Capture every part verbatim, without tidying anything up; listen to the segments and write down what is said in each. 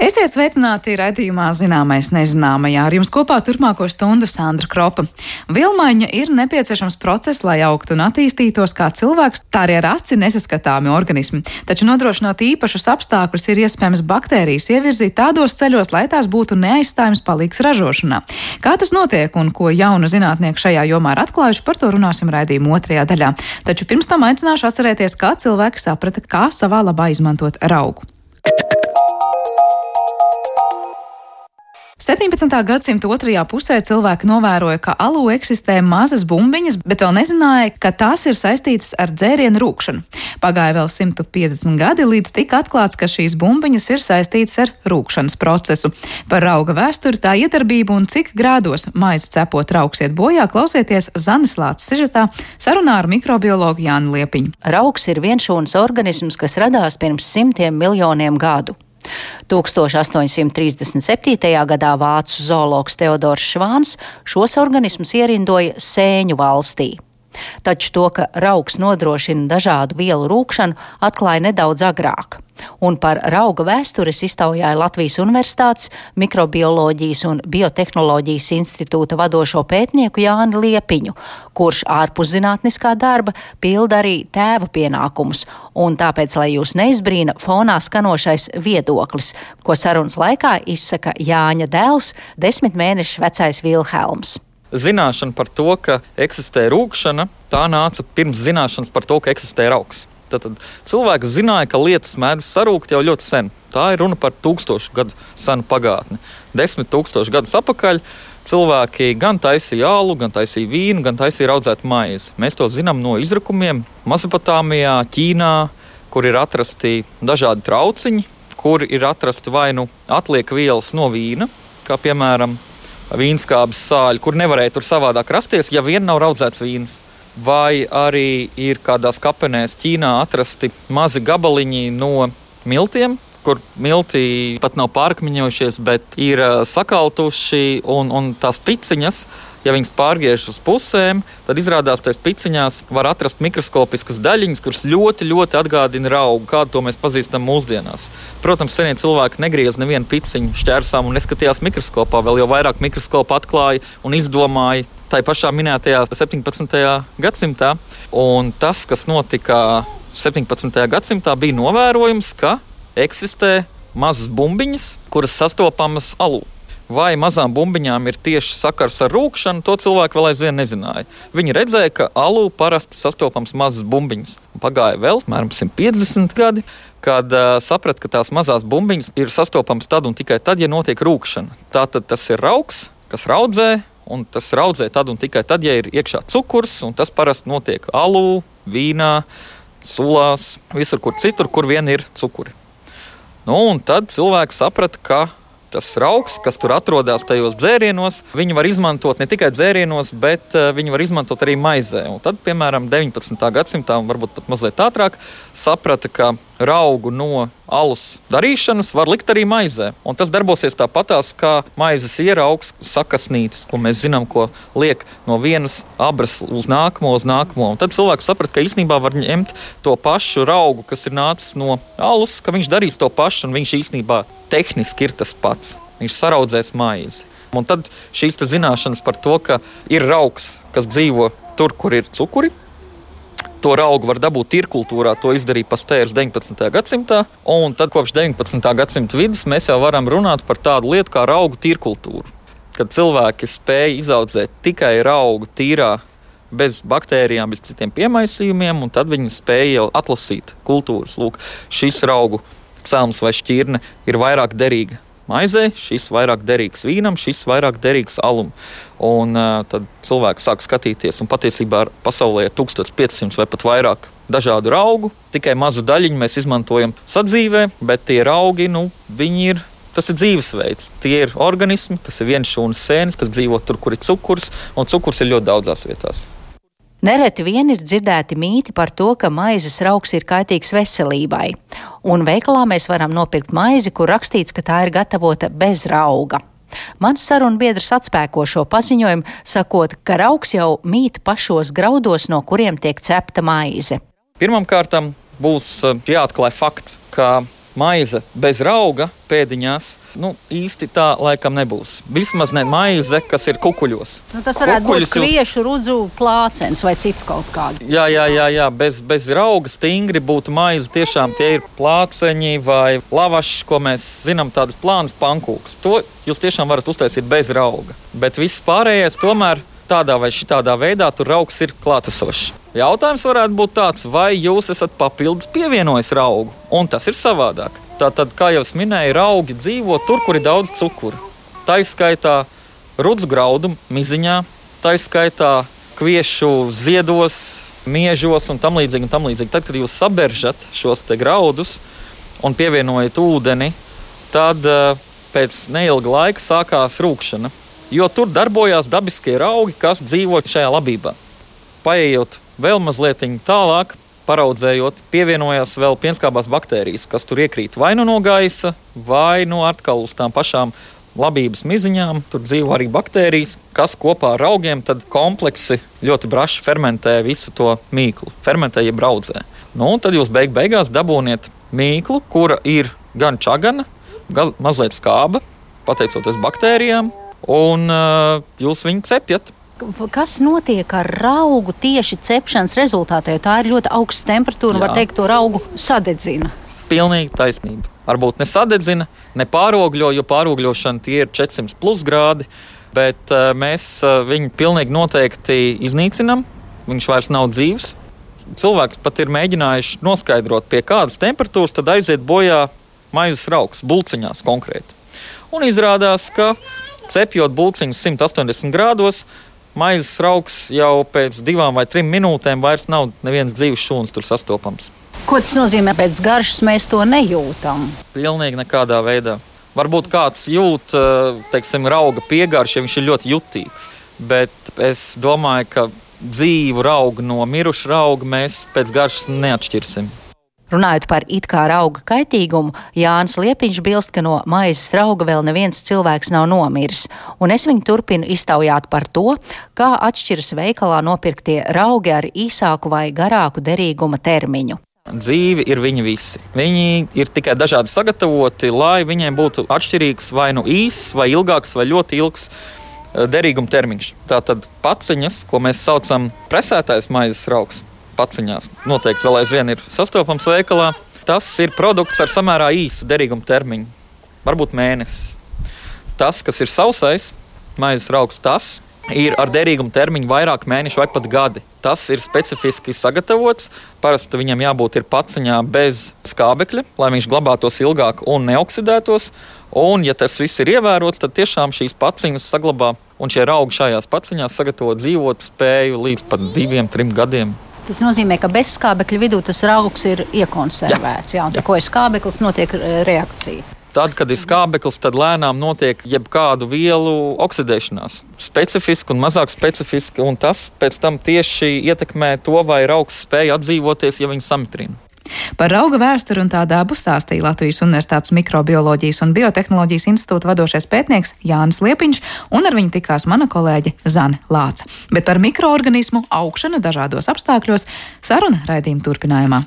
Esiet sveicināti raidījumā Zināmais nezināmajā. Ar jums kopā turpmāko stundu Sandra Kropa. Vilmaiņa ir nepieciešams process, lai augtu un attīstītos kā cilvēks, tā arī ar aci nesaskatāmi organismi. Taču nodrošinot īpašus apstākļus, ir iespējams baktērijas ievirzīt tādos ceļos, lai tās būtu neaizstājams palīgs ražošanā. Kā tas notiek un ko jaunu zinātnieku šajā jomā ir atklājuši, par to runāsim raidījuma otrajā daļā. Taču pirms tam aicināšu atcerēties, kā cilvēki saprata, kā savā labā izmantot raugu. septiņpadsmitā gadsimta otrajā pusē cilvēki novēroja, ka alū eksistē mazas bumbiņas, bet vēl nezināja, ka tās ir saistītas ar dzērienu rūkšanu. Pagāja vēl simt piecdesmit gadi, līdz tika atklāts, ka šīs bumbiņas ir saistītas ar rūkšanas procesu. Par rauga vēsturi, tā iedarbību un cik grādos maizi cepot raugs iet bojā, klausieties Zanes Lāces sižetā sarunā ar mikrobiologu Jāni Liepiņu. Raugs ir vienšūnas organisms, kas radās pirms simtiem miljoniem gadu. tūkstoš astoņsimt trīsdesmit septītajā gadā vācu zoologs Teodors Švāns šos organismus ierindoja Sēņu valstī. Taču to, ka raugs nodrošina dažādu vielu rūkšanu, atklāja nedaudz agrāk. Un par rauga vēstures iztaujāja Latvijas Universitātes Mikrobioloģijas un Biotehnoloģijas institūta vadošo pētnieku Jāni Liepiņu, kurš ārpus zinātniskā darba pilda arī tēva pienākumus. Un tāpēc, lai jūs neizbrīna fonā skanošais viedoklis, ko sarunas laikā izsaka Jāņa dēls, desmit mēnešus vecais Vilhelms. Zināšana par to, ka eksistē rūkšana, tā nāca pirms zināšanas par to, ka eksistē raugs. Tātad cilvēks zināja, ka lietas mēdz sarūkt jau ļoti sen. Tā ir runa par tūkstošu gadu senu pagātni. Desmit tūkstošu gadus atpakaļ cilvēki gan taisīja alu, gan taisīja vīnu, gan taisīja raudzētu maizi. Mēs to zinām no izrakumiem Mesopotāmijā, Ķīnā, kur ir atrasti dažādi trauciņi, kur ir atrasti vai nu atliek vielas no vīna, kā piemēram vīnskābes sāļi, kur nevarēja tur savādāk rasties, ja vien nav raudzēts vīns. Vai arī ir kādās kapenēs Ķīnā atrasti mazi gabaliņi no miltiem, kur milti pat nav pārkmiņojušies, bet ir sakaltuši, un, un tās piciņas, ja viņas pārgriež uz pusēm, tad izrādās, tais piciņās var atrast mikroskopiskas daļiņas, kuras ļoti, ļoti atgādina raugu, kādu to mēs pazīstam mūsdienās. Protams, senie cilvēki negriez nevienu piciņu šķērsām un neskatījās mikroskopā, vēl jau vairāk mikroskopu atklāja un izdomāja tai pašā minētajā septiņpadsmitajā gadsimtā. Un tas, kas notika septiņpadsmitajā gadsimtā, bija novērojums, ka eksistē mazas bumbiņas, kuras sastopamas alū. Vai mazām bumbiņām ir tieši sakars ar rūkšanu, to cilvēki vēl aizvien nezināja. Viņi redzēja, ka alū parasti sastopams mazas bumbiņas. Pagāja vēl apmēram simt piecdesmit gadi, kad uh, saprata, ka tās mazās bumbiņas ir sastopamas tad un tikai tad, ja notiek rūkšana. Tātad tas ir raugs, kas raudzē, un tas raudzē tad un tikai tad, ja ir iekšā cukurs, un tas parasti notiek alū, vīnā, sulās, visur kur citur, kur vien ir cukuri. Nu, un tad cilvēki saprata, ka tas raugs, kas tur atrodas tajos dzērienos, viņi var izmantot ne tikai dzērienos, bet uh, viņi var izmantot arī maizē. Un tad, piemēram, deviņpadsmitā gadsimtā, un varbūt pat mazliet ātrāk, saprata, ka raugu no alus darīšanas var likt arī maizē. Un tas darbosies tāpatās, kā maizes ieraugs sakasnītes, ko mēs zinām, ko liek no vienas abras uz nākamo, uz nākamo. Un tad cilvēks saprata, ka īstenībā var ņemt to pašu raugu, kas ir nācis no alus, ka viņš darīs to pašu, un viņš īstenībā tehniski ir tas pats. Viņš saraudzēs maizi. Un tad šīs zināšanas par to, ka ir raugs, kas dzīvo tur, kur ir cukuri, to raugu var dabūt tirkultūrā, to izdarīja Pastērs deviņpadsmitajā gadsimtā, un tad kopš deviņpadsmitā gadsimta vidus mēs jau varam runāt par tādu lietu kā raugu tirkultūru. Kad cilvēki spēja izaudzēt tikai raugu tīrā, bez baktērijām, bez citiem piemaisījumiem, un tad viņi spēja jau atlasīt kultūras. Lūk, šis raugu celms vai šķirne ir vairāk derīga maizē, šis vairāk derīgs vīnam, šis vairāk derīgs alum. Un uh, tad cilvēki sāk skatīties, un patiesībā pasaulē ir tūkstoš pieci simti vai pat vairāk dažādu raugu. Tikai mazu daļiņu mēs izmantojam sadzīvē, bet tie raugi, nu, viņi ir, tas ir dzīvesveids. Tie ir organismi, kas ir vienšūnas sēnes, kas dzīvo tur, kur ir cukurs, un cukurs ir ļoti daudzās vietās. Nereti vien ir dzirdēti mīti par to, ka maizes raugs ir kaitīgs veselībai. Un veikalā mēs varam nopirkt maizi, kur rakstīts, ka tā ir gatavota bez rauga. Mans sarunbiedrs atspēko šo paziņojumu, sakot, ka raugs jau mīt pašos graudos, no kuriem tiek cepta maize. Pirmkārt, būs jāatklāj fakts, ka maize bez rauga pēdiņās, nu, īsti tā laikam nebūs. Vismaz ne maize, kas ir kukuļos. Nu, tas varētu Kukuļus būt kviešu, rudzu, plācens vai citu kaut kādu. Jā, jā, jā, jā. Bez, bez rauga stingri būtu maize. Tiešām tie ir plāceņi vai lavašs, ko mēs zinām, tādas plānas pankūkas. To jūs tiešām varat uztaisīt bez rauga. Bet viss pārējais tomēr tādā vai šitādā veidā tur raugs ir klātesošs. Jautājums varētu būt tāds, vai jūs esat papildus pievienojis raugu, un tas ir savādāk. Tātad, kā jau es minēju, raugi dzīvo tur, kur ir daudz cukura. Taiskaitā rudzu graudu miziņā, taiskaitā kviešu ziedos, miežos un tam līdzīgi, un tam līdzīgi. Tad, kad jūs saberžat šos te graudus un pievienojat ūdeni, tad pēc neilga laika sākās rūkšana. Jo tur darbojās dabiskie raugi, kas dzīvo šajā labībā. Paejot vēl mazliet tālāk, paraudzējot, pievienojās vēl pienskābās baktērijas, kas tur iekrīt vai nu no gaisa, vai nu atkal uz tām pašām labības miziņām. Tur dzīvo arī baktērijas, kas kopā ar raugiem tad kompleksi ļoti braši fermentē visu to mīklu. Fermentē, jeb braudzē. Nu, un tad jūs beig beigās dabūniet mīklu, kura ir gan čagana, gan mazliet skāba, pateicoties baktērijām. Un uh, jūs viņu cepjat. Kas notiek ar raugu tieši cepšanas rezultātā? Jo tā ir ļoti augsta temperatūra, un var teikt, to raugu sadedzina. Pilnīgi taisnība. Varbūt ne sadedzina, ne pārogļo, jo pārogļošana tie ir četrsimt plus grādi, bet uh, mēs uh, viņu pilnīgi noteikti iznīcinam. Viņš vairs nav dzīvs. Cilvēks pat ir mēģinājuši noskaidrot, pie kādas temperatūras tad aiziet bojā maizes raugs, bulciņās konkrēti. Un izrādās, ka cepjot bulciņus simt astoņdesmit grādos, maizes raugs jau pēc divām vai trim minūtēm vairs nav neviens dzīves šūns tur sastopams. Ko tas nozīmē? Pēc garšas mēs to nejūtam? Pilnīgi nekādā veidā. Varbūt kāds jūt, teiksim, rauga piegaršu, ja viņš ir ļoti jutīgs. Bet es domāju, ka dzīvu raugu no miruša rauga mēs pēc garšas neatšķirsim. Runājot par it kā rauga kaitīgumu, Jānis Liepiņš bilst, ka no maizes rauga vēl neviens cilvēks nav nomiris, un es viņu turpinu iztaujāt par to, kā atšķiras veikalā nopirktie raugi ar īsāku vai garāku derīguma termiņu. Dzīvi ir viņi visi. Viņi ir tikai dažādi sagatavoti, lai viņiem būtu atšķirīgs vai nu īss, vai ilgāks, vai ļoti ilgs derīguma termiņš. Tātad paciņas, ko mēs saucam presētais maizes raugs, paciņās noteikti vēl aizvien ir sastopams veikalā. Tas ir produkts ar samērā īsu derīguma termiņu, varbūt mēnesis. Tas, kas ir sausais maizes raugs, tas ir ar derīguma termiņu vairāk mēnešu vai pat gadi. Tas ir specifiski sagatavots. Parasti viņam jābūt ir paciņā bez skābekļa, lai viņš glabātos ilgāk un neoksidētos. Un, ja tas viss ir ievērots, tad tiešām šīs paciņas saglabā, un šie raugi šajās paciņās sagatavo dzīvot spēju līdz pat diviem, trim gadiem. Tas nozīmē, ka bez skābekļa vidū tas raugs ir iekonservēts. Jā, jā, un tikko ir skābeklis, notiek reakcija. Tad, kad ir skābeklis, tad lēnām notiek jebkādu vielu oksidēšanās. Specifiski un mazāk specifiski, un tas pēc tam tieši ietekmē to, vai raugs spēja atdzīvoties, ja viņu samitrina. Par rauga vēsturi un tā dabu stāstīja Latvijas Universitātes Mikrobioloģijas un Biotehnoloģijas institūta vadošais pētnieks Jānis Liepiņš, un ar viņu tikās mana kolēģe Zane Lāce. Bet par mikroorganismu augšanu dažādos apstākļos saruna raidījuma turpinājumā.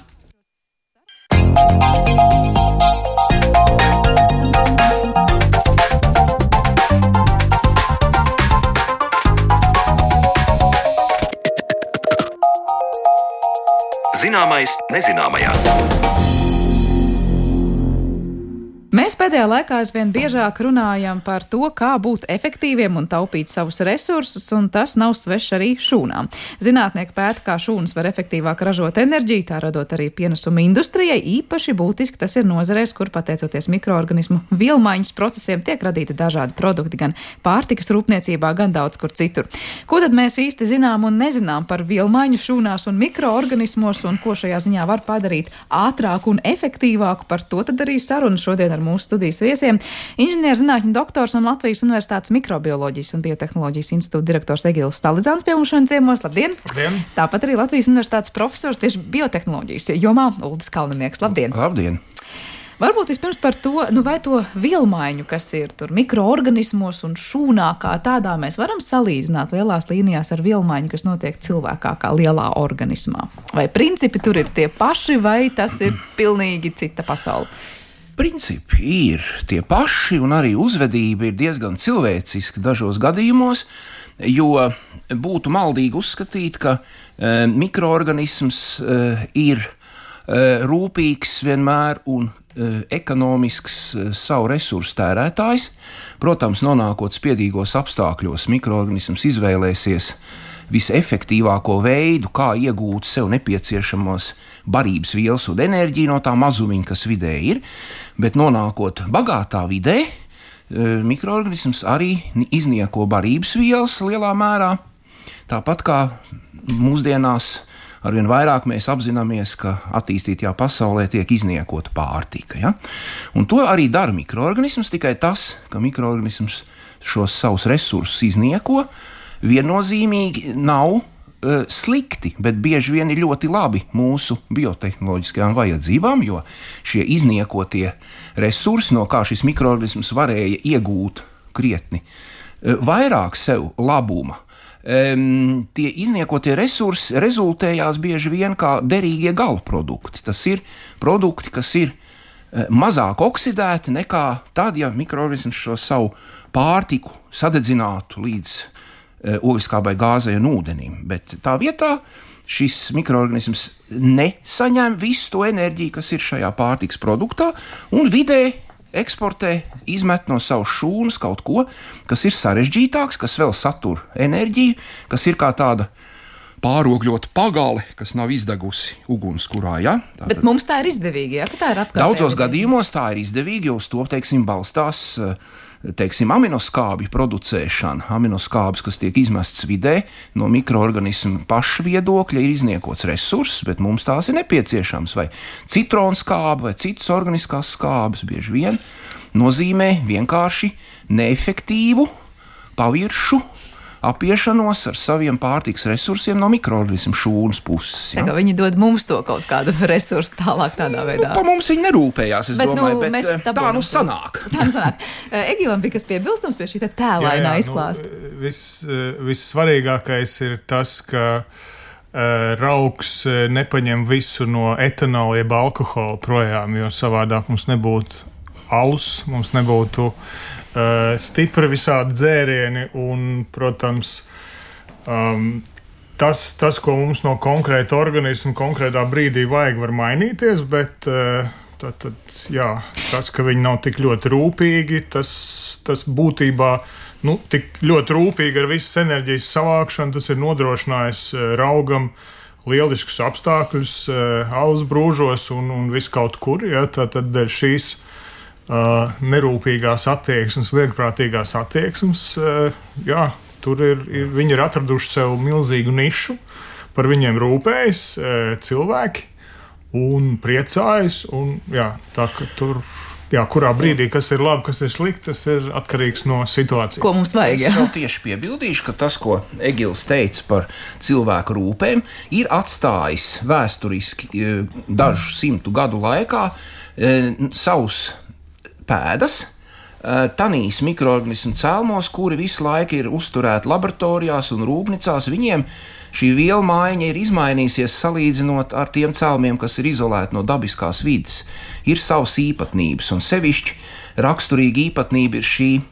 Zināmais nezināmajā. Mēs pēdējā laikā aizvien biežāk runājam par to, kā būt efektīviem un taupīt savus resursus, un tas nav svešs arī šūnām. Zinātnieki pēta, kā šūnas var efektīvāk ražot enerģiju, tā radot arī pienesumu industrijai. Īpaši būtiski tas ir nozarēs, kur pateicoties mikroorganismu vielmaiņas procesiem tiek radīti dažādi produkti gan pārtikas rūpniecībā, gan daudz kur citur. Ko tad mēs īsti zinām un nezinām par vielmaiņu šūnās un mikroorganismos, un ko šajā ziņā var padarīt ātrāku un efektīvāku? Par to tad arī saruna šodien ar mūsu studijas viesiem. Inženierzinātņu doktors un Latvijas Universitātes Mikrobioloģijas un Biotehnoloģijas institūta direktors Egils Stalidzāns pie mums šodien ciemos. Labdien! Labdien! Tāpat arī Latvijas Universitātes profesors tieši biotehnoloģijas jomā Uldis Kalninieks. Labdien! Labdien! Varbūt vispirms par to, nu vai to vielmaiņu, kas ir tur mikroorganismos un šūnā kā tādā, mēs varam salīdzināt lielās līnijās ar vielmaiņu, kas notiek cilvēkā kā lielā organismā. Vai principi tur ir tie paši, vai tas ir pilnīgi cita pasaule? Principi ir tie paši, un arī uzvedība ir diezgan cilvēciska dažos gadījumos, jo būtu maldīgi uzskatīt, ka e, mikroorganisms e, ir e, rūpīgs vienmēr un e, ekonomisks e, savu resursu tērētājs. Protams, nonākot spiedīgos apstākļos, mikroorganisms izvēlēsies visefektīvāko veidu, kā iegūt sev nepieciešamos barības vielas un enerģiju no tā mazumiņa, kas vidē ir, bet nonākot bagātā vidē, mikroorganisms arī iznieko barības vielas lielā mērā, tāpat kā mūsdienās arvien vairāk mēs apzināmies, ka attīstītajā pasaulē tiek izniekota pārtika. Ja? Un to arī dara mikroorganisms, tikai tas, ka mikroorganisms šos savus resursus iznieko, viennozīmīgi nav uh, slikti, bet bieži vien ir ļoti labi mūsu biotehnoloģiskajām vajadzībām, jo šie izniekotie resursi, no kā šis mikroorganisms varēja iegūt krietni uh, vairāk sev labuma, um, tie izniekotie resursi rezultējās bieži vien kā derīgie galprodukti. Tas ir produkti, kas ir uh, mazāk oksidēti nekā tad, ja mikroorganisms šo savu pārtiku sadedzinātu līdz ogliskābai gāzei un ūdenim, bet tā vietā šis mikroorganisms nesaņem visu to enerģiju, kas ir šajā pārtikas produktā, un vidē eksportē, izmet no savas šūnas kaut ko, kas ir sarežģītāks, kas vēl satur enerģiju, kas ir kā tāda pārogļota pagale, kas nav izdegusi ugunskurā. Ja? Tātad, bet mums tā ir izdevīgi, ja? Ka tā ir apkārtējā. Daudzos gadījumos tā ir izdevīgi, jo uz to, teiksim, balstās teiksim, aminoskābju producēšana. Aminoskābes, kas tiek izmests vidē, no mikroorganismu paša viedokļa ir izniekots resurss, bet mums tās ir nepieciešams. Vai citronskābe, vai citas organiskās skābes bieži vien nozīmē vienkārši neefektīvu paviršu apiešanos ar saviem pārtikas resursiem no mikroorganismu šūnas puses. Ja? Viņi dod mums to kaut kādu resursu tālāk tādā veidā. Nu, pa mums viņi nerūpējās, es bet, domāju, nu, bet tā nu sanāk. Tā nu sanāk. Egilam bija kas piebilstams pie šī tēlainā izklāsta. Nu, viss, vissvarīgākais ir tas, ka uh, raugs nepaņem visu no etanola jeb alkohola projām, jo savādāk mums nebūtu alus, mums nebūtu Uh, stipri visādi dzērieni un, protams, um, tas, tas, ko mums no konkrēta organisma konkrētā brīdī vajag, var mainīties, bet uh, tad, tad, jā, tas, ka viņi nav tik ļoti rūpīgi, tas, tas būtībā nu, tik ļoti rūpīgi ar visas enerģijas savākšanu, tas ir nodrošinājis uh, raugam lieliskus apstākļus uh, alus brūžos un, un viskaut kur, ja, tad, tad dēļ šīs Uh, nerūpīgās attieksmes, viegprātīgās attieksmes, uh, jā, tur ir, ir, viņi ir atraduši sev milzīgu nišu, par viņiem rūpējas uh, cilvēki un priecājas, un jā, tā ka tur, jā, kurā brīdī, kas ir labi, kas ir slikti, tas ir atkarīgs no situācijas. Ko mums vajag, jā? Es vēl tieši piebildīšu, ka tas, ko Egils teica par cilvēku rūpēm, ir atstājis vēsturiski dažu simtu gadu laikā savus pēdas, tanīs mikroorganismu cēlmos, kuri visu laiku ir uzturēti laboratorijās un rūpnīcās. Viņiem šī vielu maiņa ir izmainījusies salīdzinot ar tiem cēlmiem, kas ir izolēti no dabiskās vides. Ir savas īpatnības, un sevišķi raksturīga īpatnība ir šī e,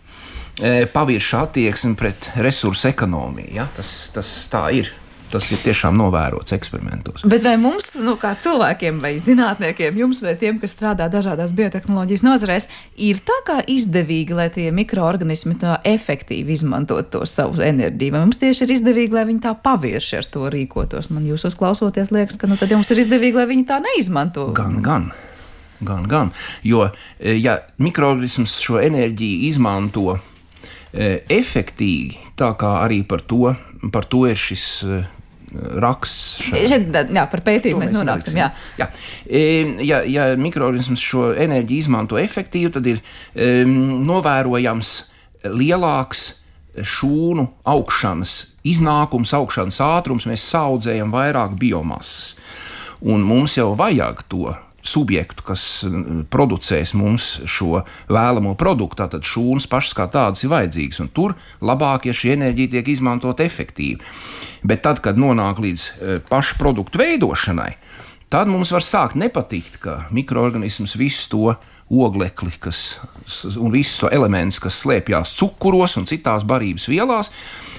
pavirša attieksme pret resursu ekonomiju. Ja? Tas, tas tā ir. Tas ir tiešām novērots eksperimentos. Bet vai mums, nu, kā cilvēkiem vai zinātniekiem, jums vai tiem, kas strādā dažādās biotehnoloģijas nozarēs, ir tā kā izdevīgi, lai tie mikroorganismi tā efektīvi izmantot to savu enerģiju? Vai mums tieši ir izdevīgi, lai viņi tā pavirši ar to rīkotos? Man jūs uzklausoties liekas, ka nu, tad jums ir izdevīgi, lai viņi tā neizmanto. Gan, gan. Gan, gan. Jo, ja mikroorganisms šo enerģiju izmanto e, efektīgi, tā kā arī par to, par to ir šis e, raksts. Šeit, jā, par pētījumu mēs nonāksim. Jā. Jā. Ja, ja mikroorganisms šo enerģiju izmanto efektīvi, tad ir um, novērojams lielāks šūnu augšanas iznākums, augšanas ātrums. Mēs saudzējam vairāk biomasas. Un mums jau vajag to subjektu, kas producēs mums šo vēlamo produktu, tātad šūnas pašas kā tādas ir vajadzīgas, un tur labāk, ja šī enerģija tiek izmantot efektīvi. Bet tad, kad nonāk līdz pašu produktu veidošanai, tad mums var sākt nepatikt, ka mikroorganisms visu to oglekli kas, un visus elementus, kas slēpjas cukuros un citās barības vielās,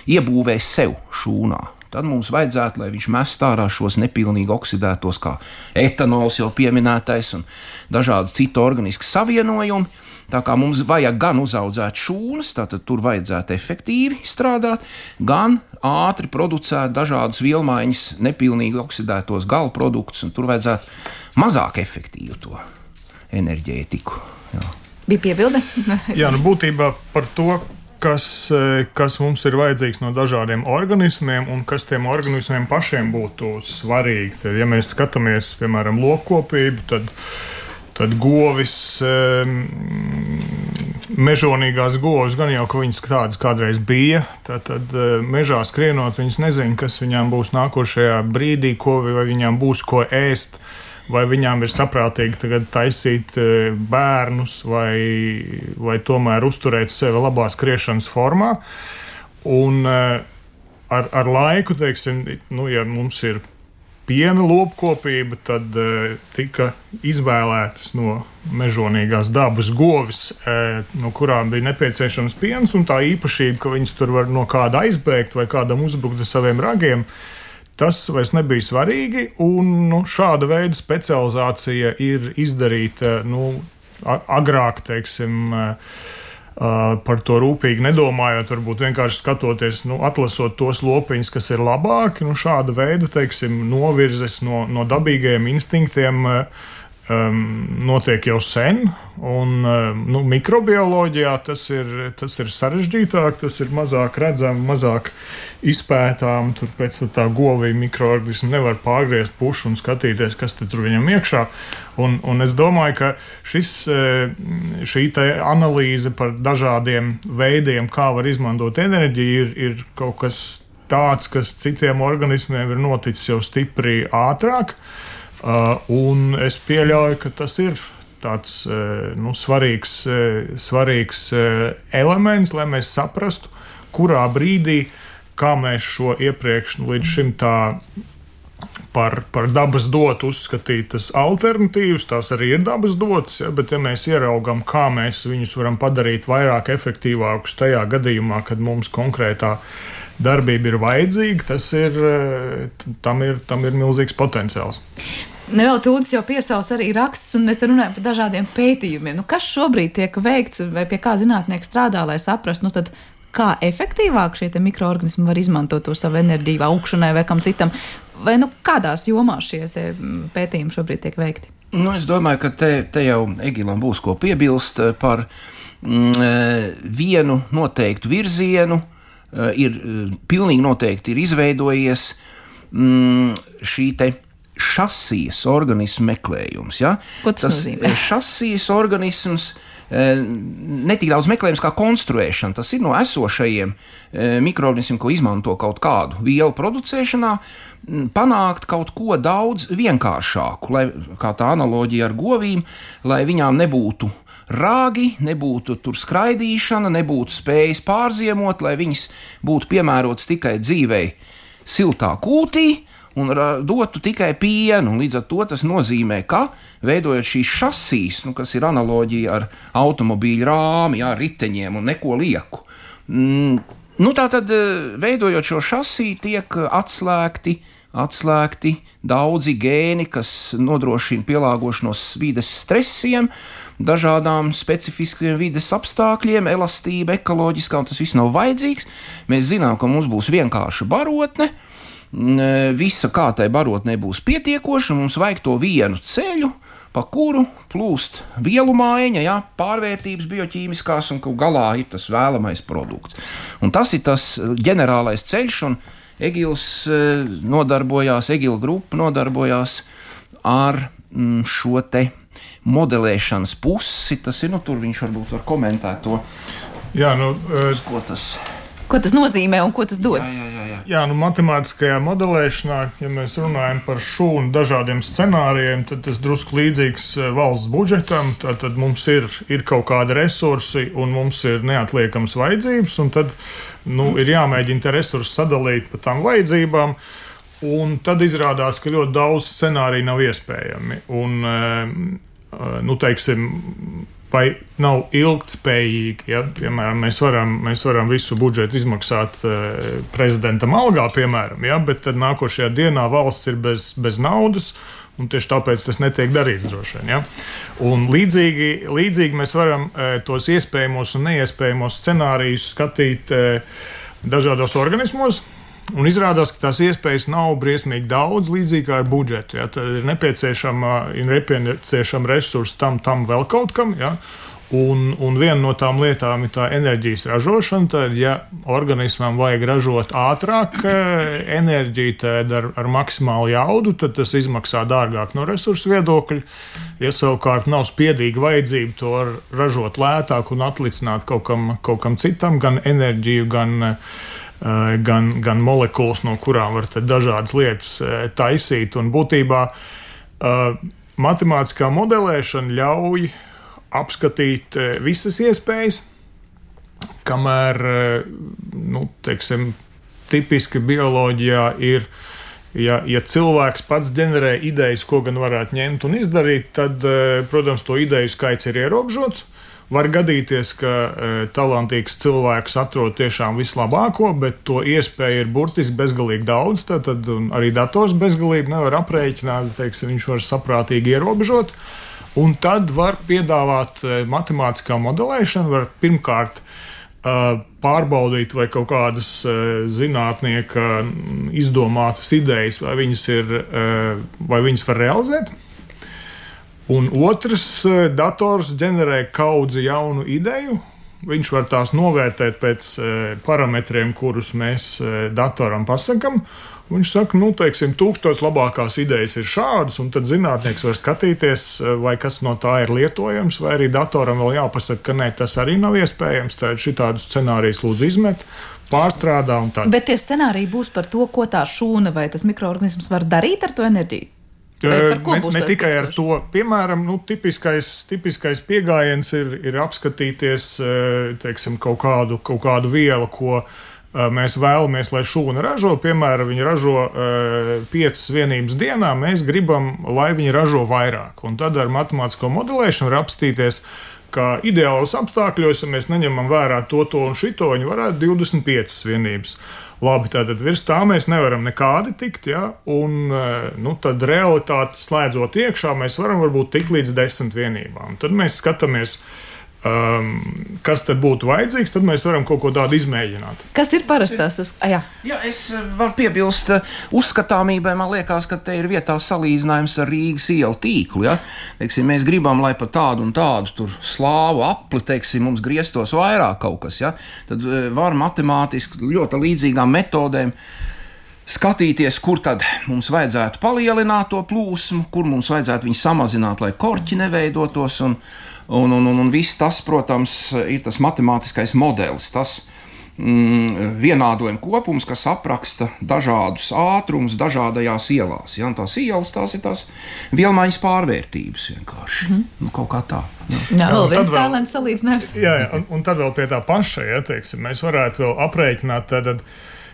iebūvē sev šūnā. Tad mums vajadzētu, lai viņš mest ārā šos nepilnīgi oksidētos, kā etanols jau pieminētais un dažādi citu organisku savienojumi. Tā kā mums vajag gan uzaudzēt šūnas, tātad tur vajadzētu efektīvi strādāt, gan ātri producēt dažādas vielmaiņas, nepilnīgi oksidētos gala produktus, un tur vajadzētu mazāk efektīvu to enerģētiku. Jā. Bija piebilde? Jā, nu būtībā par to, kas, kas mums ir vajadzīgs no dažādiem organismiem un kas tiem organismiem pašiem būtu svarīgi. Tad, ja mēs skatāmies, piemēram, lopkopību, tad Tad govis, mežonīgās govis, gan jau, ka viņas tādas kādreiz bija, tad, tad mežā skrienot, viņas nezina, kas viņām būs nākošajā brīdī, ko, vai viņām būs ko ēst, vai viņām ir saprātīgi tagad taisīt bērnus, vai, vai tomēr uzturēt sevi labā skriešanas formā. Un ar, ar laiku, teiksim, nu, ja mums ir piena lopkopība, tad uh, tika izvēlētas no mežonīgās dabas govis, uh, no kurām bija nepieciešams piens, un tā īpašība, ka viņas tur var no kāda aizbēgt vai kādam uzbrukt ar saviem ragiem, tas vairs nebija svarīgi, un nu, šāda veida specializācija ir izdarīta nu, agrāk, teiksim, uh, Uh, par to rūpīgi nedomājot, varbūt vienkārši skatoties, nu, atlasot tos lopiņus, kas ir labāki. Nu, šāda veida, teiksim, novirzes no, no dabīgajiem instinktiem uh, um, notiek jau sen. Un, uh, nu, mikrobioloģijā tas ir, tas ir sarežģītāk, tas ir mazāk redzams, mazāk izpētām. Tur pēc tā govija mikroorganismu nevar pārgriezt pušu un skatīties, kas tur viņam iekšā. Un, un es domāju, ka šis, šī analīze par dažādiem veidiem, kā var izmantot enerģiju, ir, ir kaut kas tāds, kas citiem organismiem ir noticis jau stipri ātrāk. Un es pieļauju, ka tas ir tāds nu, svarīgs, svarīgs elements, lai mēs saprastu, kurā brīdī, kā mēs šo iepriekš nu, līdz šim tā Par, par dabas dotu uzskatītas alternatīvas, tās arī ir dabas dotas, ja, bet ja mēs ieraugam, kā mēs viņus varam padarīt vairāk efektīvākus tajā gadījumā, kad mums konkrētā darbība ir vajadzīga, tas ir, tam ir, tam ir milzīgs potenciāls. Nevēl Tūdis jau piesauc arī rakstus, un mēs te runājam par dažādiem pētījumiem. Nu, kas šobrīd tiek veikts, vai pie kā zinātnieki strādā, lai saprastu, nu tad kā efektīvāk šie mikroorganismi var izmantot to savu enerģiju augšanai vai kam citam? Vai nu kādās jomās šie pētījumi šobrīd tiek veikti? Nu, es domāju, ka te, te jau Egilam būs ko piebilst par mm, vienu noteiktu virzienu. Ir pilnīgi noteikti ir izveidojies mm, šī te šasijas organismu meklējums. Ja? Ko tas, tas nozīmē? Šasijas organisms ne tik daudz meklējums kā konstruēšana. Tas ir no esošajiem mikroorganismiem, ko izmanto kaut kādu vielu producēšanā, panākt kaut ko daudz vienkāršāku, lai, kā tā analoģija ar govīm, lai viņām nebūtu rāgi, nebūtu tur skraidīšana, nebūtu spējas pārziemot, lai viņas būtu piemērotas tikai dzīvei siltā kūtī, un dotu tikai pienu. Līdz ar to tas nozīmē, ka veidojot šīs šasijas, nu, kas ir analoģija ar automobīļu rāmi, jā, riteņiem un neko lieku. Mm, nu, tātad, veidojot šo šasiju, tiek atslēgti, atslēgti daudzi gēni, kas nodrošina pielāgošanos vides stresiem, dažādām specifiskiem vides apstākļiem, elastība, ekoloģiskā, un tas viss nav vajadzīgs. Mēs zinām, ka mums būs vienkārša barotne, visa kā tai barotnē būs pietiekoša, mums vajag to vienu ceļu, pa kuru plūst vielu mājiņa, jā, pārvērtības bioķīmiskās, un galā ir tas vēlamais produkts. Un tas ir tas ģenerālais ceļš, un Egils nodarbojās, Egila grupa nodarbojās ar šo te modelēšanas pusi. Tas ir, nu, tur viņš varbūt var komentēt to. Jā, nu, ko tas Ko tas nozīmē un ko tas dod? Jā, jā, jā, jā. jā nu, matemātiskajā modelēšanā, ja mēs runājam par šūnu dažādiem scenārijiem, tad tas drusku līdzīgs valsts budžetam. Tad mums ir, ir kaut kādi resursi un mums ir neatliekams vajadzības, un tad nu, ir jāmēģina te resursus sadalīt pa tām vajadzībām. Un tad izrādās, ka ļoti daudz scenāriju nav iespējami. Un, nu, teiksim, vai nav ilgtspējīgi. Ja? Piemēram, mēs varam, mēs varam visu budžetu izmaksāt uh, prezidentam algā, piemēram, ja? Bet tad nākošajā dienā valsts ir bez, bez naudas, un tieši tāpēc tas netiek darīts droši vien. Ja? Un līdzīgi, līdzīgi mēs varam uh, tos iespējamos un neiespējamos scenārijus skatīt uh, dažādos organismos. Un izrādās, ka tās iespējas nav briesmīgi daudz, līdzīgi kā ar budžetu. Ja? Tad ir nepieciešama, ir nepieciešama resursi tam, tam vēl kaut kam. Ja? Un, un viena no tām lietām ir tā enerģijas ražošana. Tad, ja organismam vajag ražot ātrāk enerģiju tad ar, ar maksimālu jaudu, tad tas izmaksā dārgāk no resursu viedokļa. Ja savukārt nav spiedīga vajadzība to ražot lētāk un atlicināt kaut kam, kaut kam citam, gan enerģiju, gan Gan, gan molekulas, no kurām var dažādas lietas taisīt. Un būtībā uh, matemātiskā modelēšana ļauj apskatīt visas iespējas, kamēr, nu, teiksim, tipiski bioloģijā ir, ja, ja cilvēks pats ģenerē idejas, ko gan varētu ņemt un izdarīt, tad, protams, to ideju skaits ir ierobežots. Var gadīties, ka e, talantīgs cilvēks atrod tiešām vislabāko, bet to iespēju ir burtiski bezgalīgi daudz. Tad arī dators bezgalīgi nevar aprēķināt, teiksim, viņš var saprātīgi ierobežot. Un tad var piedāvāt e, matemātiskā modelēšana, var pirmkārt e, pārbaudīt, vai kaut kādas e, zinātnieka izdomātas idejas, vai viņas, ir, e, vai viņas var realizēt. Un otrs, dators ģenerē kaudzi jaunu ideju. Viņš var tās novērtēt pēc parametriem, kurus mēs datoram pasakam. Viņš saka, nu, teiksim, tūkstoš labākās idejas ir šādas, un tad zinātnieks var skatīties, vai kas no tā ir lietojams, vai arī datoram vēl jāpasaka, ka nē, tas arī nav iespējams. Tad šitādus scenārijus lūdzu izmet, pārstrādā un tā. Bet tie scenāriji būs par to, ko tā šūna vai tas mikroorganisms var darīt ar to enerģiju? Ne, ne tikai ar to. Piemēram, nu, tipiskais, tipiskais piegājiens ir, ir apskatīties, teiksim, kaut kādu, kaut kādu vielu, ko mēs vēlamies, lai šūna ražo. Piemēram, viņi ražo piecas vienības dienā, mēs gribam, lai viņi ražo vairāk. Un tad ar matemātisko modelēšanu var apstīties, ka ideālos apstākļos, ja mēs neņemam vērā to, to un šito, viņi varētu divdesmit piecas vienības. Labi, tātad virs tā mēs nevaram nekādi tikt, ja? Un nu, tad realitāti slēdzot iekšā, mēs varam varbūt tikt līdz desmit vienībām. Tad mēs skatāmies, um, kas tad būtu vajadzīgs, tad mēs varam kaut ko tādu izmēģināt. Kas ir parastās? Ah, jā. jā, es varu piebilst uzskatāmībai, man liekas, ka te ir vietā salīdzinājums ar Rīgas ielu tīklu, ja? Teiksim, mēs gribam, lai pa tādu un tādu tur slāvu apli, teiksim, mums grieztos vairāk kaut kas, ja? Tad var matemātiski ļoti līdzīgām metodēm skatīties, kur tad mums vajadzētu palielināt to plūsmu, kur mums vajadzētu viņu samazināt, lai korķi neveidotos, un, un, un, un, un viss tas, protams, ir tas matemātiskais modelis, tas mm, vienādojuma kopums, kas apraksta dažādus ātrumus dažādajās ielās. Ja? Un tās ielas, tās ir tās vielmaiņas pārvērtības vienkārši. Mm. Nu, kaut kā tā. Jā, jā vēl viens tālens salīdzinājums. Jā, jā un, un tad vēl pie tā paša, ja, teiksim, mēs varētu vēl aprēķināt tad,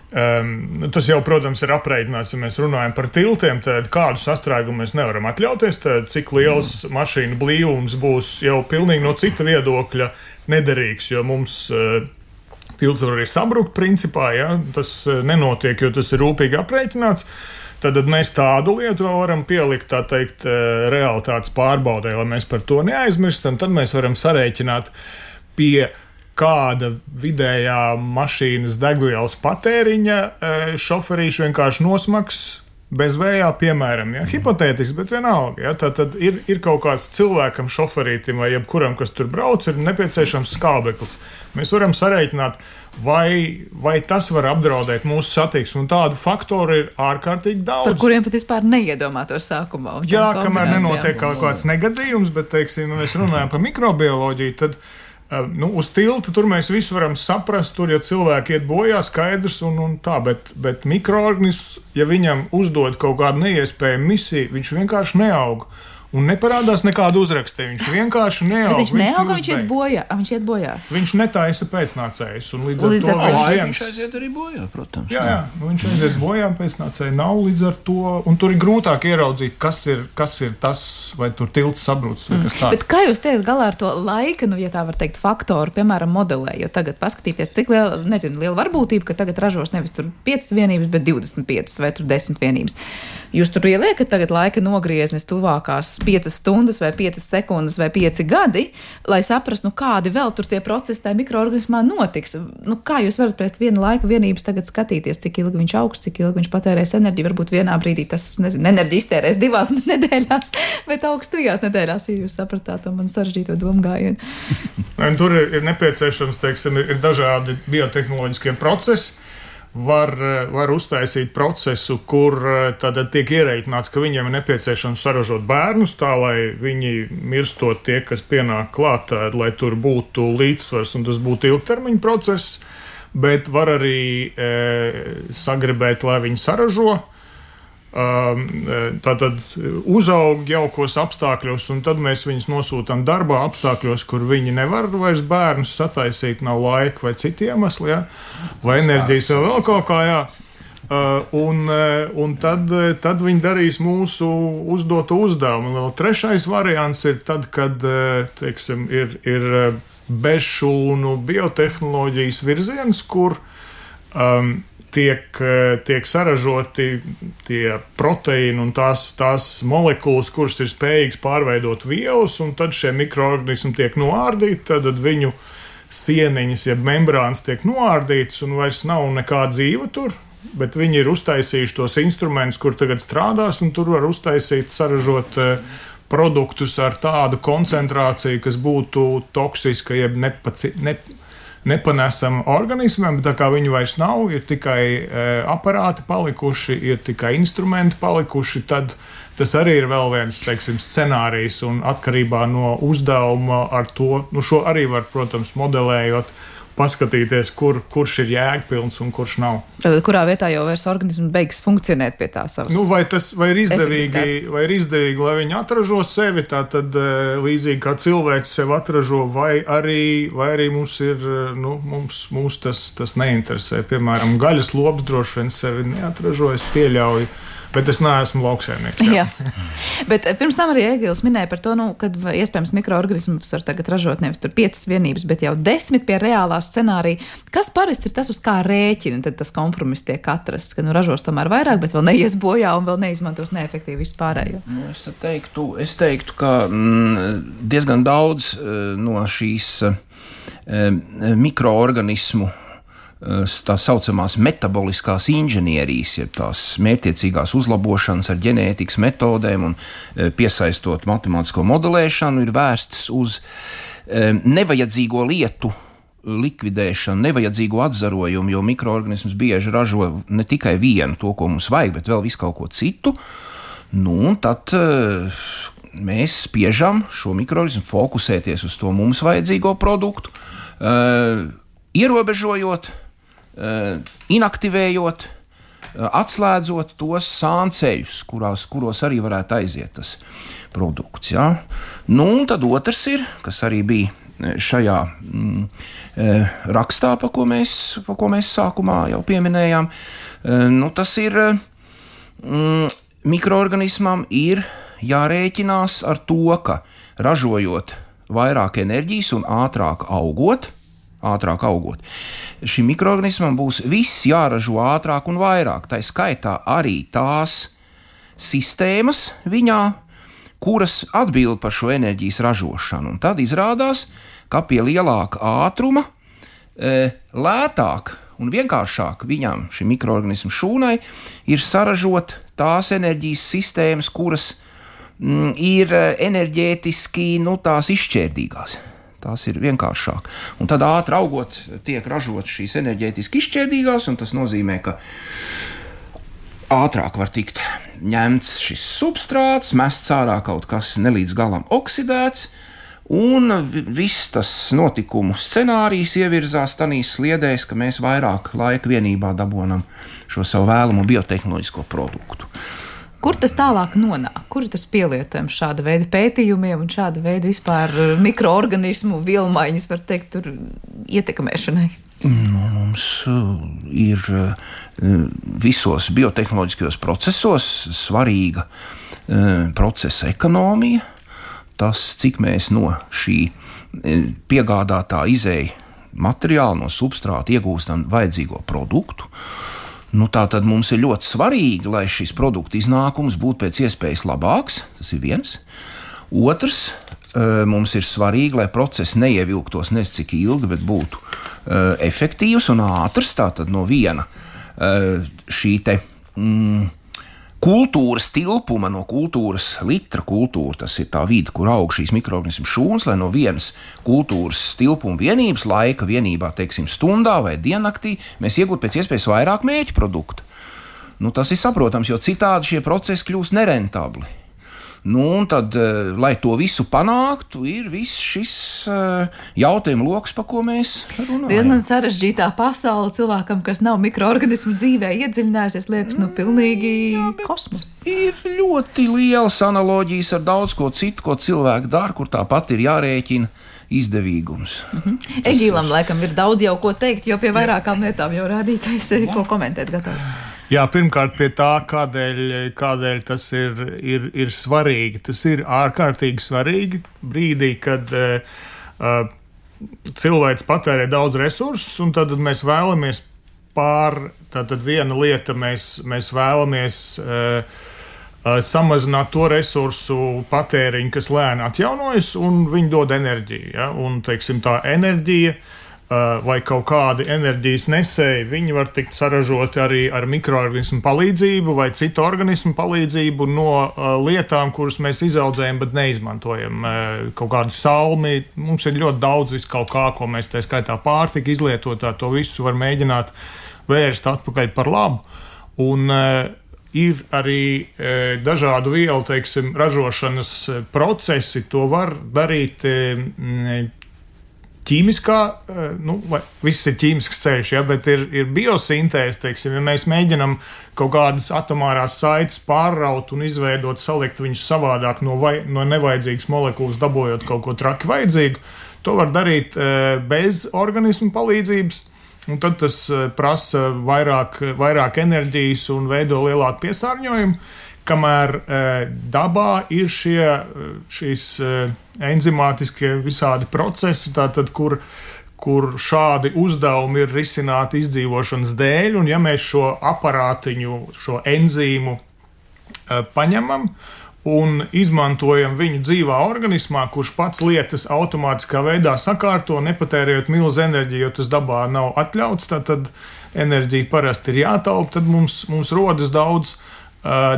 Um, tas jau, protams, ir aprēķināts, ja mēs runājam par tiltiem, tad kādu sastrēgumu mēs nevaram atļauties, tad cik liels mašīnu blīvums būs jau pilnīgi no cita viedokļa nederīgs, jo mums uh, tilts var arī sabrukt principā, ja? Tas uh, nenotiek, jo tas ir rūpīgi aprēķināts. Tad mēs tādu lietu vēl varam pielikt, tā teikt, uh, realitātes pārbaudē, lai mēs par to neaizmirstam, tad mēs varam sarēķināt pie kāda vidējā mašīnas degvielas patēriņa šoferīšu vienkārši nosmaks bez vējā, piemēram, ja? Hipotētiski, bet vienalga. Ja? Tad, tad ir, ir kaut kāds cilvēkam, šoferītim vai jebkuram, kas tur brauc, ir nepieciešams skābeklis. Mēs varam sarēķināt, vai, vai tas var apdraudēt mūsu satiksmi, un tādu faktoru ir ārkārtīgi daudz. Par kuriem pat vispār neiedomātos sākumā. Jā, kamēr nenotiek kaut kāds negadījums, bet, teiksim, mēs runājam par mikrobioloģiju, tad nu, uz tilta tur mēs visu varam saprast, tur, ja cilvēki iet bojā, skaidrs un, un tā, bet, bet mikroorganisms, ja viņam uzdod kaut kādu neiespējamu misiju, viņš vienkārši neaug. un neparādās nekāda uzraksta. Viņš vienkārši neaug. Bet viņš neaug, viņš, viņš iet bojā. Viņš iet bojā. Viņš netaisa pēcnācējus, un līdz ar Līdz to ar to viņš Laika viens... viņš aiziet arī bojā, protams. Jā, jā, viņš aiziet bojā, pēcnācēji nav līdz ar to, un tur ir grūtāk ieraudzīt, kas ir, kas ir tas, vai tur tilts sabrūcis, vai kas tāds. Bet kā jūs teikt galā ar to laika, nu, ja tā var teikt, faktoru, piemēram, modelē, jo tagad paskatīties, cik liela, nezinu, liela varbūtība, ka tagad ražos nevis tur piecas vienības, bet divdesmit piecas vai tur desmit vienības. Jūs tur ieliekat tagad laika nogrieznis tuvākās piecas stundas vai piecas sekundes vai pieci gadi, lai saprastu, nu, kādi vēl tur tie procesi tajā mikroorganismā notiks. Nu, kā jūs varat pēc viena laika vienības tagad skatīties, cik ilgi viņš augs, cik ilgi viņš patērēs enerģiju? Varbūt vienā brīdī tas, nezinu, enerģija iztērēs divās nedēļās, bet augs trijās nedēļās, ja jūs sapratāt to man sarežģīto domgājienu. Tur ir, ir nepieciešams, teiksim, ir, ir dažādi biotehnoloģiskie procesi. Var, var uztaisīt procesu, kur tātad tiek ierēķināts, ka viņiem ir nepieciešams saražot bērnus, tā lai viņi mirstot tie, kas pienāk klāt, lai tur būtu līdzsvars un tas būtu ilgtermiņa process, bet var arī e, sagribēt, lai viņi saražo. Tātad uzaug jaukos apstākļos, un tad mēs viņus nosūtām darbā apstākļos, kur viņi nevar vairs bērnus sataisīt, nav laika vai citi iemesli, ja? Vai enerģijas vai vēl kaut kā, jā. Un, un tad, tad viņi darīs mūsu uzdoto uzdevumu. Vēl trešais variants ir tad, kad, teiksim, ir, ir bezšūnu biotehnoloģijas virziens, kur um, Tiek, tiek saražoti tie proteīni un tās, tās molekulas, kuras ir spējīgas pārveidot vielas, un tad šie mikroorganismi tiek noārdīti, tad viņu sieniņas, jeb membrānas tiek noārdītas, un vairs nav nekā dzīva tur, bet viņi ir uztaisījuši tos instrumentus, kur tagad strādās, un tur var uztaisīt, saražot produktus ar tādu koncentrāciju, kas būtu toksiska, jeb nepaci, ne, nepanesama organismiem, bet tā kā viņi vairs nav, ir tikai e, aparāti palikuši, ir tikai instrumenti palikuši, tad tas arī ir vēl viens, teiksim, scenārijs, un atkarībā no uzdevuma ar to, nu šo arī var, protams, modelējot, paskatīties, kur, kurš ir jēgpilns un kurš nav. Tad kurā vietā jau vairs organisms beigs funkcionēt pie tā savas? Nu, vai tas vai ir izdevīgi, vai ir izdevīgi, lai viņi atražo sevi, tā tad līdzīgi kā cilvēks sevi atražo, vai arī, vai arī mums ir, nu, mums, mums tas, tas neinteresē. Piemēram, gaļas lops droši vien sevi neatražo, es pieļauju. Bet es neesmu lauksaimnieks. Jā. Jā. Bet pirms tam arī Egils minēja par to, nu, kad iespējams mikroorganismus var tagad ražot nevis tur piecas vienības, bet jau desmit pie reālā scenārija. Kas parasti ir tas, uz kā rēķina, tad tas kompromiss tiek atrasts, ka nu ražos tomēr vairāk, bet vēl neies bojā un vēl neizmantos neefektīvi vispārējo? Nu, es teiktu, es teiktu, ka mm, diezgan daudz no šīs mm, mikroorganismu tā saucamās metaboliskās inženierijas, jeb tās mērķtiecīgās uzlabošanas ar ģenētikas metodēm un piesaistot matemātisko modelēšanu, ir vērsts uz nevajadzīgo lietu likvidēšanu, nevajadzīgo atzarojumu, jo mikroorganisms bieži ražo ne tikai vienu to, ko mums vajag, bet vēl visu kaut ko citu. Nu, un tad mēs spiežam šo mikroorganismu fokusēties uz to mums vajadzīgo produktu, ierobežojot, inaktivējot, atslēdzot tos sānceļus, kurās, kuros arī varētu aiziet tas produkts. Ja? Nu, un tad otrs ir, kas arī bija šajā mm, rakstā, pa ko, mēs, pa ko mēs sākumā jau pieminējām, nu, tas ir mm, mikroorganismam ir jārēķinās ar to, ka ražojot vairāk enerģijas un ātrāk augot, ātrāk augot. Šim mikroorganismam būs viss jāražo ātrāk un vairāk. Tā skaitā arī tās sistēmas viņā, kuras atbild par šo enerģijas ražošanu. Un tad izrādās, ka pie lielāka ātruma e, lētāk un vienkāršāk viņam, šim mikroorganismu šūnai, ir saražot tās enerģijas sistēmas, kuras mm, ir enerģētiski, nu, tās izšķērdīgās. Tās ir vienkāršāk. Un tad ātri augot tiek ražot šīs enerģētiski izšķērdīgās, un tas nozīmē, ka ātrāk var tikt ņemts šis substrāts, mests ārā kaut kas nelīdz galam oksidēts, un viss tas notikumu scenārijs ievirzās tanīs sliedēs, ka mēs vairāk laika vienībā dabonam šo savu vēlamo biotehnoloģisko produktu. Kur tas tālāk nonāk? Kur ir tas pielietojums šāda veida pētījumiem un šāda veida vispār mikroorganismu vielmaiņas, var teikt, tur ietekmēšanai? Nu, mums ir visos biotehnoloģiskajos procesos svarīga procesa ekonomija. Tas, cik mēs no šī piegādātā izēja materiāla, no substrāta iegūstam vajadzīgo produktu. Nu, tā tad mums ir ļoti svarīgi, lai šis produktu iznākums būtu pēc iespējas labāks. Tas ir viens. Otrs, mums ir svarīgi, lai process neievilktos nes cik ilgi, bet būtu efektīvs un ātrs. Tātad no viena šī te mm, kultūras tilpuma, no kultūras litra kultūra, tas ir tā vide, kur aug šīs mikroorganismu šūnas, lai no vienas kultūras tilpuma vienības laika vienībā, teiksim, stundā vai diennaktī, mēs iegūtu pēc iespējas vairāk mērķu produktu. Nu, tas ir saprotams, jo citādi šie procesi kļūst nerentabli. Nu, un tad, lai to visu panāktu, ir viss šis jautājumu loks, pa ko mēs runājam. Diezgan sarežģītā pasaule cilvēkam, kas nav mikroorganismu dzīvē iedziļinājusies, liekas, nu, pilnīgi jā, kosmos. Ir ļoti lielas analoģijas ar daudz ko citu, ko cilvēki dara, kur tāpat ir jārēķina izdevīgums. Mm-hmm. Egīlam, ir... laikam, ir daudz jau ko teikt, jo pie vairākām lietām jau rādīja, ka es ko komentēt gatavs. Jā, pirmkārt pie tā, kādēļ, kādēļ tas ir, ir, ir svarīgi. Tas ir ārkārtīgi svarīgi brīdī, kad uh, cilvēks patērē daudz resursus, un tad mēs vēlamies pār, tātad viena lieta, mēs, mēs vēlamies uh, uh, samazināt to resursu patēriņu, kas lēni atjaunojas, un viņi dod enerģiju. Ja? Un, teiksim, tā enerģija vai kaut kādi enerģijas nesēji, viņi var tikt saražoti arī ar mikroorganismu palīdzību vai citu organismu palīdzību no uh, lietām, kuras mēs izaudzējam, bet neizmantojam. Uh, kaut kādi salmi, mums ir ļoti daudz vis kaut kā, ko mēs tā skaitā pārtika izlietotā, to visu var mēģināt vērst atpakaļ par labu. Un uh, ir arī uh, dažādu vielu, teiksim, ražošanas procesi, to var darīt uh, ķīmiskā, nu, viss ir ķīmisks ceļš, ja, bet ir, ir biosintēze, teiksim, ja mēs mēģinam kaut kādas atomārās saites pārraut un izveidot, salikt viņus savādāk no, vai, no nevajadzīgas molekulas, dabojot kaut ko traki vajadzīgu, to var darīt bez organismu palīdzības, un tad tas prasa vairāk, vairāk enerģijas un veido lielāku piesārņojumu, kamēr dabā ir šie, šīs enzimātiskie visādi procesi, tātad, kur, kur šādi uzdevumi ir risināti izdzīvošanas dēļ, un ja mēs šo aparātiņu, šo enzīmu paņemam un izmantojam viņu dzīvā organismā, kurš pats lietas automātiskā veidā sakārto, nepatērējot milzu enerģiju, jo tas dabā nav atļauts, tad enerģija parasti ir jātaupa, tad mums, mums rodas daudz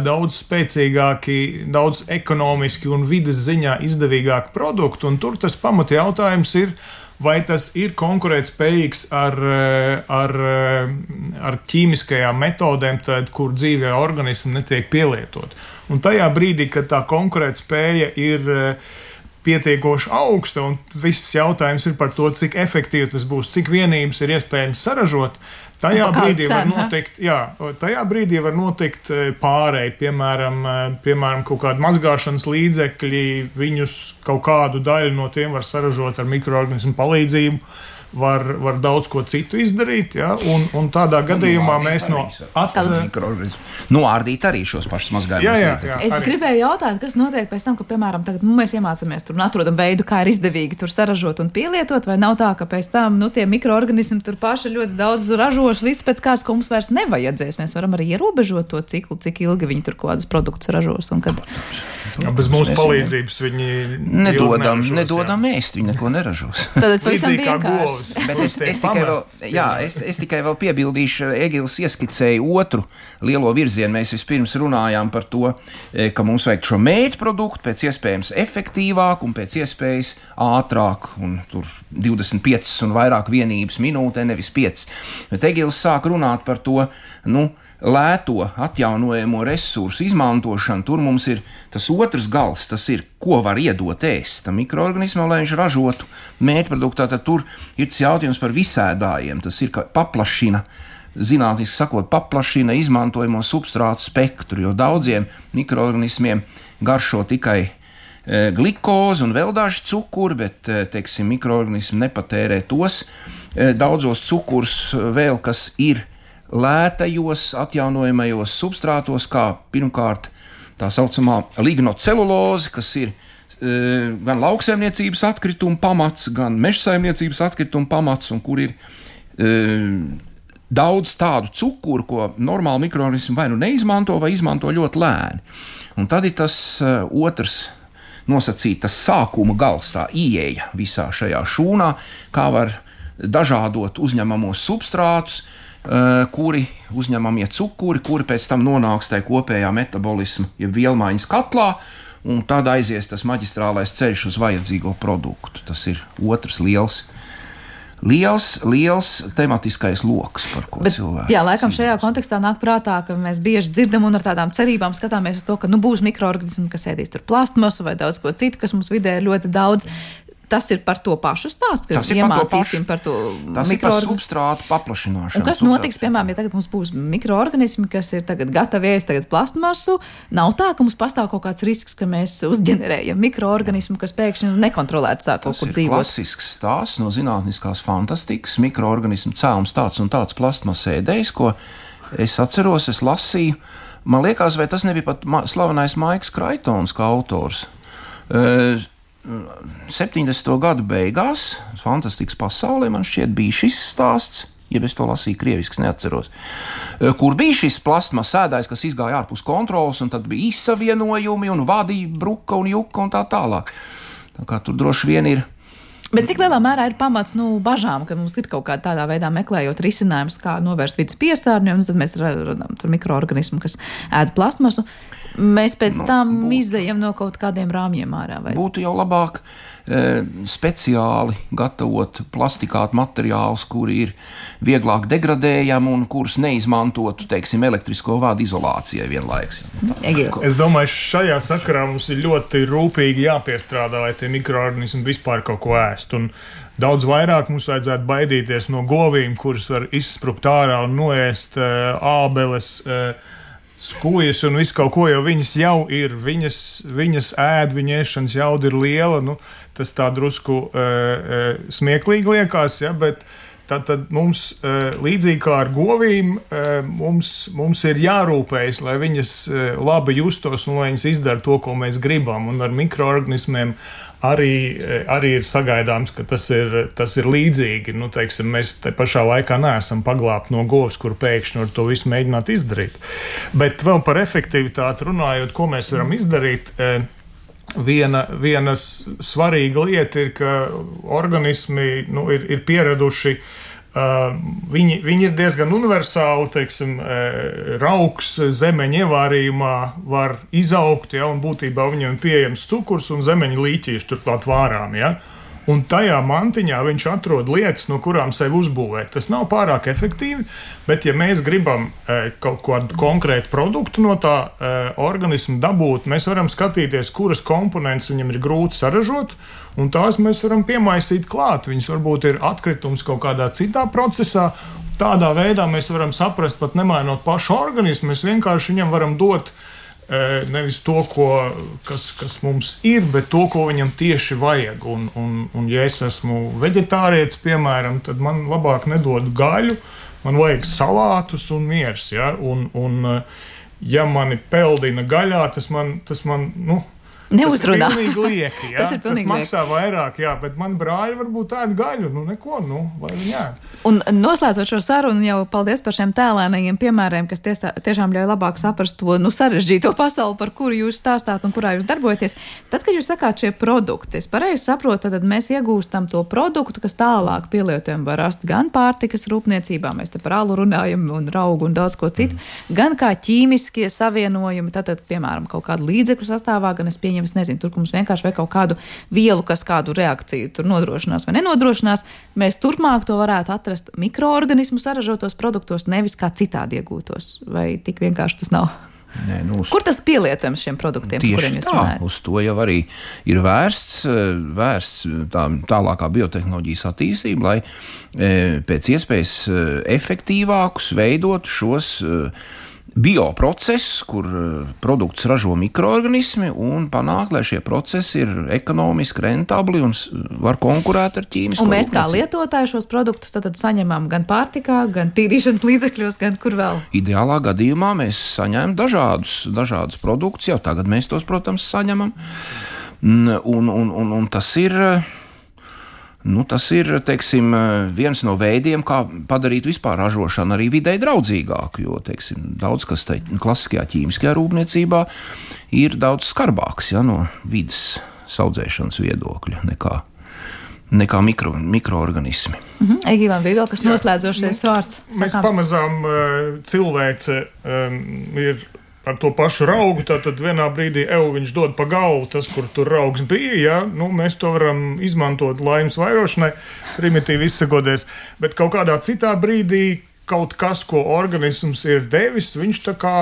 daudz spēcīgāki, daudz ekonomiski un vides ziņā izdevīgāki produkti, un tur tas pamata jautājums ir, vai tas ir konkurētspējīgs ar, ar, ar ķīmiskajām metodēm, tad, kur dzīvē organismi netiek pielietot. Un tajā brīdī, kad tā konkurētspēja ir pietiekoši augsta, un viss jautājums ir par to, cik efektīvi tas būs, cik vienības ir iespējams saražot, Tajā brīdī, var notikt, jā, tajā brīdī var notikt pārēj, piemēram, piemēram, kaut kādi mazgāšanas līdzekļi, viņus kaut kādu daļu no tiem var saražot ar mikroorganismu palīdzību, var, var daudz ko citu izdarīt, ja, un, un tādā gadījumā nu, mēs no atcelt... Noārdīt arī šos pašus mazgājumus līdzekļus. Es arī. gribēju jautāt, kas notiek pēc tam, ka, piemēram, tagad nu, mēs iemācāmies tur un atrodam veidu, kā ir izdevīgi tur saražot un pielietot, vai nav tā, ka pēc tam, nu, tie mikroorganismi tur paši ļoti daudz ražoši, viss pēc kāds, ko mums vairs nevajadzēs. Mēs varam arī ierobežot to ciklu, cik ilgi viņi tur kādus produktus ražos un kad... Ja, bez mūsu palīdzības viņi nedodam, nedodam ēst, viņi neko neražos. Tad pavisam vienkārši. Bet es, es, tikai vēl, jā, es, es tikai vēl piebildīšu, Egils ieskicēja otru lielo virzienu. Mēs vispirms runājām par to, ka mums vajag šo mērķu produktu pēc iespējams efektīvāk un pēc iespējas ātrāk, un tur divdesmit piecas un vairāk vienības minūtē, nevis piecas. Bet Egils sāk runāt par to, nu, lēto atjaunojamo resursu izmantošanu. Tur mums ir tas otrs gals, tas ir, ko var iedot ēst tam mikroorganismam, lai viņš ražotu mērķproduktu. Tad tur ir tas jautājums par visēdājiem. Tas ir, ka paplašina zinātniski sakot, paplašina izmantojamo substrātu spektru, jo daudziem mikroorganismiem garšo tikai e, glikozi un vēl daži cukuri, bet, e, teiksim, mikroorganismi nepatērē tos e, daudzos cukurs vēl, kas ir lētajos, atjaunojamajos substrātos, kā pirmkārt tā saucamā lignoceluloze, kas ir e, gan lauksaimniecības atkrituma pamats, gan mežsaimniecības atkrituma pamats, un kur ir e, daudz tādu cukuru, ko normāli mikroorganismi vai nu neizmanto, vai izmanto ļoti lēni. Un tad ir tas e, otrs nosacīt, tas sākuma gals, tā ieeja visā šajā šūnā, kā var dažādot uzņemamos substrātus, Uh, kuri uzņemamie cukuri, kuri pēc tam nonāks tajā kopējā metabolisma, jeb vielmaiņas katlā, un tad aizies tas maģistrālais ceļš uz vajadzīgo produktu. Tas ir otrs liels, liels, liels tematiskais loks, par ko Bet, cilvēki. Jā, laikam šajā kontekstā nāk prātā, ka mēs bieži dzirdam un ar tādām cerībām skatāmies uz to, ka nu būs mikroorganismi, kas ēdīs tur plastmasu vai daudz ko citu, kas mums vidē ir ļoti daudz. Tas ir par to pašu stāstu, ka iemācīsim par to mikroorganismu. Tas ir par substrātu paplašināšanu. Un kas notiks, piemēram, ja tagad mums būs mikroorganismi, kas ir tagad gatavi ēst tagad plastmasu, nav tā, ka mums pastāv kaut kāds risks, ka mēs uzģenerējam mikroorganismu, kas pēkšņi nekontrolēti sāk kaut kur dzīvot. Tas ir klasisks stāsts no zinātniskās fantastikas, mikroorganismu cēlums tāds un tāds plastmas ēdējs, ko es atceros, es lasīju. Man liekas, vai tas nebija pat slavenais Maiks Kraitons kā autors. Uh, septiņdesmito gadu beigās, fantastikas pasaulē, man šķiet, bija šis stāsts, ja es to lasīju krieviski, neatceros, kur bija šis plastmas ēdājs, kas izgāja ārpus kontrolas, un tad bija izsavienojumi, un vadīja bruka un juka un tā tālāk. Tā kā tur droši vien ir. Bet cik lielā mērā ir pamats nu, bažām, ka mums ir kaut kādā tādā veidā meklējot risinājumus, kā novērst vidas piesārņojumu, un tad mēs radām tur mikroorganismu, kas ēd plastmasu. Mēs pēc nu, tam būtu, izejam no kaut kādiem rāmjiem ārā. Vai? Būtu jau labāk e, speciāli gatavot plastikātu materiālus, kuri ir vieglāk degradējami un kurus neizmantotu, teiksim, elektrisko vādu izolācijai vienlaikus. Es domāju, šajā sakarā mums ir ļoti rūpīgi jāpiestrādā, lai tie mikroorganismi vispār kaut ko ēst. Un daudz vairāk mums vajadzētu baidīties no govīm, kuras var izsprukt ārā un noēst e, ābeles, e, skujas un visu kaut ko, jo viņas jau ir, viņas, viņas ēd, viņa ēšanas jauda ir liela, nu, tas tā drusku e, e, smieklīgi liekas, ja, bet tad, tad mums, e, līdzīgi kā ar govīm, e, mums, mums ir jārūpējas, lai viņas e, labi justos un lai viņas izdara to, ko mēs gribam, un ar mikroorganismiem Arī, arī ir sagaidāms, ka tas ir, tas ir līdzīgi. Nu, teiksim, mēs te pašā laikā neesam paglābti no govs, kur pēkšņi var to visu mēģināt izdarīt. Bet vēl par efektivitāti runājot, ko mēs varam izdarīt, viena, viena svarīga lieta ir, ka organismi nu, ir, ir pieraduši. Uh, viņi, viņi ir diezgan universāli, teiksim, uh, raugs zemeņa ievārījumā var izaugt, ja, un būtībā viņam ir pieejams cukurs un zemeņa līķīši turklāt vārām, ja. Un tajā mantiņā viņš atrod lietas, no kurām sevi uzbūvēt. Tas nav pārāk efektīvi, bet ja mēs gribam e, kaut kādu konkrētu produktu no tā e, organismu dabūt, mēs varam skatīties, kuras komponentes viņam ir grūti saražot, un tās mēs varam piemaisīt klāt. Viņas varbūt ir atkritums kaut kādā citā procesā. Tādā veidā mēs varam saprast, pat nemainot pašu organismu, mēs vienkārši viņam varam dot nevis to, ko, kas, kas mums ir, bet to, ko viņam tieši vajag. Un, un, un ja es esmu veģetārietis, piemēram, tad man labāk nedod gaļu, man vajag salātus un miers. Ja? Un, un, ja mani peldina gaļā, tas man, tas man nu, neuzrunā. Tas ir pilnīgi lieki, ja? tas, ir pilnīgi tas maksā lieki. Vairāk, jā, bet man brāļi varbūt ēd gaļu, nu neko, nu, lai viņi ēd. Un noslēdzot šo sarunu, jau paldies par šiem tēlēnajiem piemēriem, kas tiesā, tiešām ļauj labāk saprast to, nu, sarežģīto pasauli, par kuru jūs stāstāt un kurā jūs darbojaties. Tad, kad jūs sakāt šie produkti, es pareizi saprotu, tad mēs iegūstam to produktu, kas tālāk pielietojam var rast gan pārtikas rūpniecībā, mēs te par alu runājam un raugu un daudz ko citu, mm. gan kā ķīmiskie savienojumi, tātad, piemēram, kaut kādu līdzekļu sastāvā, gan es pieņemu, es nezinu, tur, ka mums vienkārši vajag kaut kādu vielu, kas kādu reakciju tur nodrošinās vai nenodrošinās, mēs turpmāk to varētu atrast mikroorganismu saražotos produktos, nevis kā citādi iegūtos. Vai tik vienkārši tas nav? Nē, nu, uz... Kur tas pielietojams šiem produktiem, par kuriem jūs runājat? Uz to jau arī ir vērsts, vērsts tā, tālākā biotehnoloģijas attīstība, lai e, pēc iespējas efektīvākus veidot šos e, bioprocesus, kur produkts ražo mikroorganismi un panākt, lai šie procesi ir ekonomiski rentabli un var konkurēt ar ķīmisko. Un mēs kā lietotāji šos produktus tad saņemam gan pārtikā, gan tīrīšanas līdzekļos, gan kur vēl? Ideālā gadījumā mēs saņemam dažādus, dažādus produktus, jau tagad mēs tos, protams, saņemam. Un, un, un, un tas ir... Nu, tas ir, teiksim, viens no veidiem, kā padarīt vispār ražošanu arī videi draudzīgāku, jo, teiksim, daudz kas te klasiskajā ķīmiskajā rūpniecībā ir daudz skarbāks, ja, no vidas saudzēšanas viedokļa nekā, nekā mikro, mikroorganismi. Mhm. Egīlam bija vēl kas noslēdzošais vārds. Mēs pamazām cilvēce um, ir ar to pašu raugu, tad vienā brīdī eju viņš dod pa galvu, tas, kur tur raugs bija, ja? Nu, mēs to varam izmantot laimes vairošanai, primitīvi izsakoties, bet kaut kādā citā brīdī kaut kas, ko organisms ir devis, viņš tā kā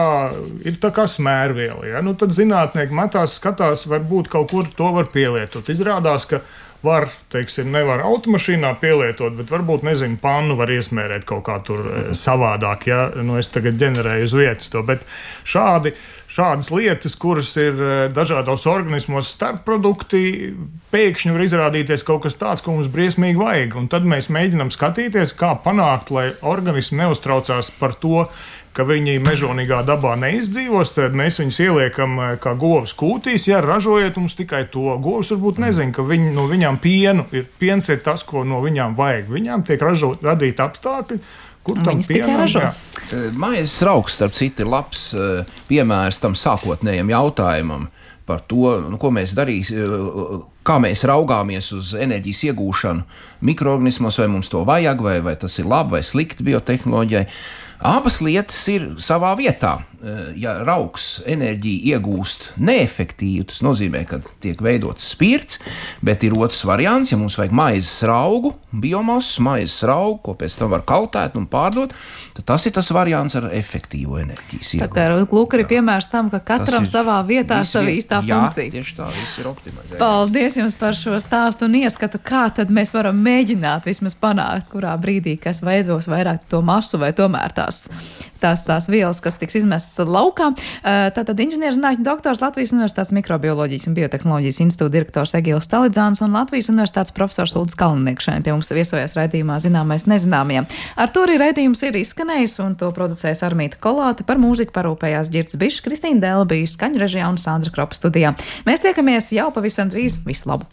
ir tā kā smērviela, ja? Nu, tad zinātnieki metās, skatās, varbūt kaut kur to var pielietot. Izrādās, ka var, teiksim, nevar automašīnā pielietot, bet varbūt, nezinu, pannu var iesmērēt kaut kā tur savādāk, ja, nu es tagad ģenerēju uz vietas to, bet šādi, šādas lietas, kuras ir dažādos organismos starpprodukti, pēkšņi var izrādīties kaut kas tāds, ko mums briesmīgi vajag, un tad mēs mēģinam skatīties, kā panākt, lai organismi neuztraucās par to, ka viņi mežonīgā dabā neizdzīvos, tad mēs viņus ieliekam kā govs kūtīs, ja ražojiet mums tikai to. Govs varbūt nezina, ka viņi, no viņām pienu ir, piens ir tas, ko no viņām vajag. Viņām tiek ražot, radīt apstākļi, kur tam pienam, jā. Maizes raugs, starp citu, ir labs piemērs tam sākotnējam jautājumam par to, nu, ko mēs darīsim, kā mēs raugāmies uz enerģijas iegūšanu mikroorganismos, vai mums to vajag, vai, vai tas ir labi vai slikti biotehnoloģijai. Abas lietas ir savā vietā. Ja raugs enerģiju iegūst neefektīvi, tas nozīmē, ka tiek veidots spirts, bet ir otrs variants, ja mums vajag maizes raugu, biomasu, maizes raugu, ko pēc tam var kaltēt un pārdot, tad tas ir tas variants ar efektīvu enerģijas iegūšanu. Tā kā lūk arī piemērs tam, ka katram ir, savā vietā sava īstā jā, funkcija. Jā, tieši tā, viss ir optimizēts. Paldies jums par šo stāstu un ieskatu, kā tad mēs varam mēģināt vismaz panākt, kurā brīdī, kas veidos vairāk to masu vai tomēr tās, tās, tās vielas, kas tiks izmestas laukā. Tātad inženierzinātņu doktors, Latvijas Universitātes mikrobioloģijas un biotehnoloģijas institūta direktors Egils Stalidzāns un Latvijas Universitātes profesors Uldis Kalnieks šodien pie mums viesojās raidījumā Zināmais nezināmajam. Ar to arī raidījums ir izskanējis un to producējas Armīta Kolāte, par mūziku parūpējās Ģirds Bišs, Kristīna Dēla bija skaņu režijā un Sandra Kropa studijā. Mēs tiekamies jau pavisam drīz. Visu labu!